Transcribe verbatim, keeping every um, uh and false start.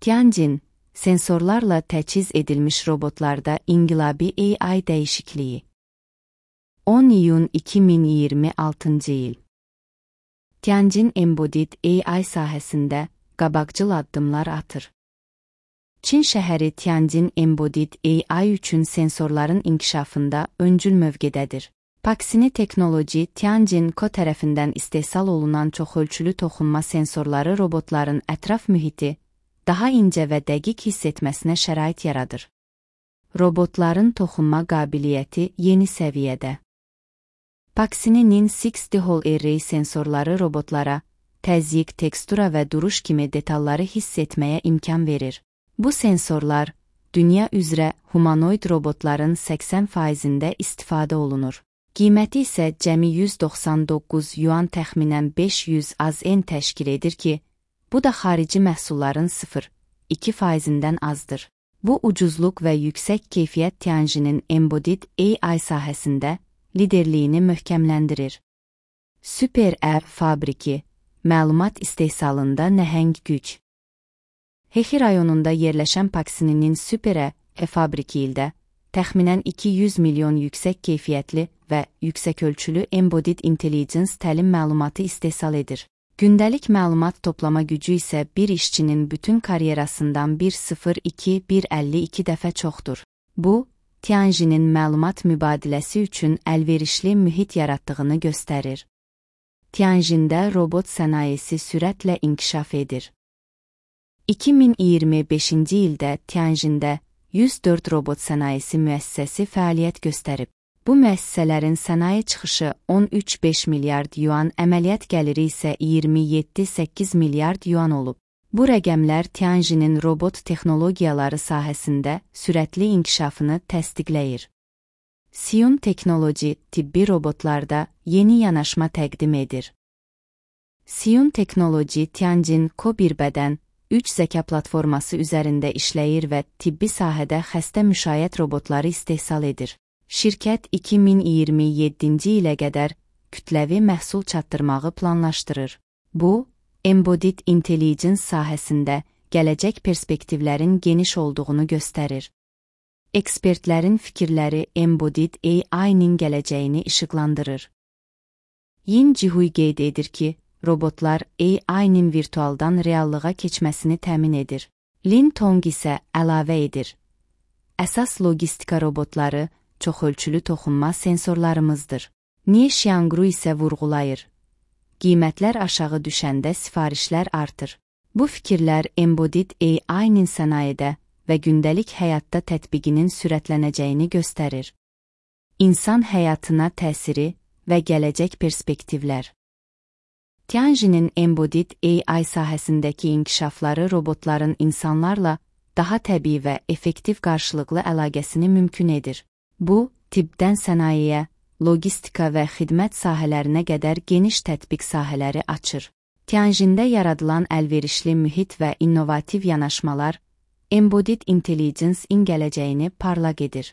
Tianjin, sensorlarla təchiz edilmiş robotlarda inqilabi A I dəyişikliyi. on iyun iki min iyirmi altıncı il. Tianjin Embodied A I sahəsində qabaqcıl addımlar atır. Çin şəhəri Tianjin Embodied A I üçün sensorların inkişafında öncül mövqedədir. Paxini Technology Tianjin Co tərəfindən istehsal olunan çoxölçülü toxunma sensorları robotların ətraf mühiti daha incə və dəqiq hiss etməsinə şərait yaradır. Robotların toxunma qabiliyyəti yeni səviyyədə. Paxini'nin altı D Hall Array sensorları robotlara təzyiq, tekstura və duruş kimi detalları hiss etməyə imkan verir. Bu sensorlar, dünya üzrə humanoid robotların səksən faizində istifadə olunur. Qiyməti isə cəmi yüz doxsan doqquz yuan təxminən beş yüz az yen təşkil edir ki, bu da xarici məhsulların sıfır nöqtə iki faizindən azdır. Bu ucuzluq və yüksək keyfiyyət Tianjin'in Embodied A I sahəsində liderliyini möhkəmləndirir. Super E fabriki, məlumat istehsalında nəhəng güc. Hehi rayonunda yerləşən Paxini'nin Super E fabriki ildə təxminən iki yüz milyon yüksək keyfiyyətli və yüksəkölçülü Embodied Intelligence təlim məlumatı istehsal edir. Gündəlik məlumat toplama gücü isə bir işçinin bütün karyerasından bir nöqtə sıfır iki bir əlli iki dəfə çoxdur. Bu, Tianjin'in məlumat mübadiləsi üçün əlverişli mühit yaratdığını göstərir. Tianjin'də robot sənayesi sürətlə inkişaf edir. iki min iyirmi beşinci ildə Tianjin'də yüz dörd robot sənayesi müəssisəsi fəaliyyət göstərib. Bu müəssisələrin sənaye çıxışı on üç nöqtə beş milyard yuan, əməliyyat gəliri isə iyirmi yeddi nöqtə səkkiz milyard yuan olub. Bu rəqəmlər Tianjin'in robot texnologiyaları sahəsində sürətli inkişafını təsdiqləyir. Siun Technology tibbi robotlarda yeni yanaşma təqdim edir. Siun Technology Tianjin Co bir bədən, üç zəka platforması üzərində işləyir və tibbi sahədə xəstə müşayiət robotları istehsal edir. Şirkət iki min iyirmi yeddinci ilə qədər kütləvi məhsul çatdırmağı planlaşdırır. Bu, Embodied Intelligence sahəsində gələcək perspektivlərin geniş olduğunu göstərir. Ekspertlərin fikirləri Embodied A I-nin gələcəyini işıqlandırır. Yin Jihui qeyd edir ki, robotlar A I-nin virtualdan reallığa keçməsini təmin edir. Lin Tong isə əlavə edir. Əsas logistika robotları çoxölçülü toxunma sensorlarımızdır. Nie Xiangru isə vurğulayır. Qiymətlər aşağı düşəndə sifarişlər artır. Bu fikirlər Embodied A I-nin sənayedə və gündəlik həyatda tətbiqinin sürətlənəcəyini göstərir. İnsan həyatına təsiri və gələcək perspektivlər. Tianjin'in Embodied A I sahəsindəki inkişafları robotların insanlarla daha təbii və effektiv qarşılıqlı əlaqəsini mümkün edir. Bu, tibbdən sənayeyə, logistika və xidmət sahələrinə qədər geniş tətbiq sahələri açır. Tianjin'də yaradılan əlverişli mühit və innovativ yanaşmalar Embodied Intelligence-in gələcəyini parlaq edir.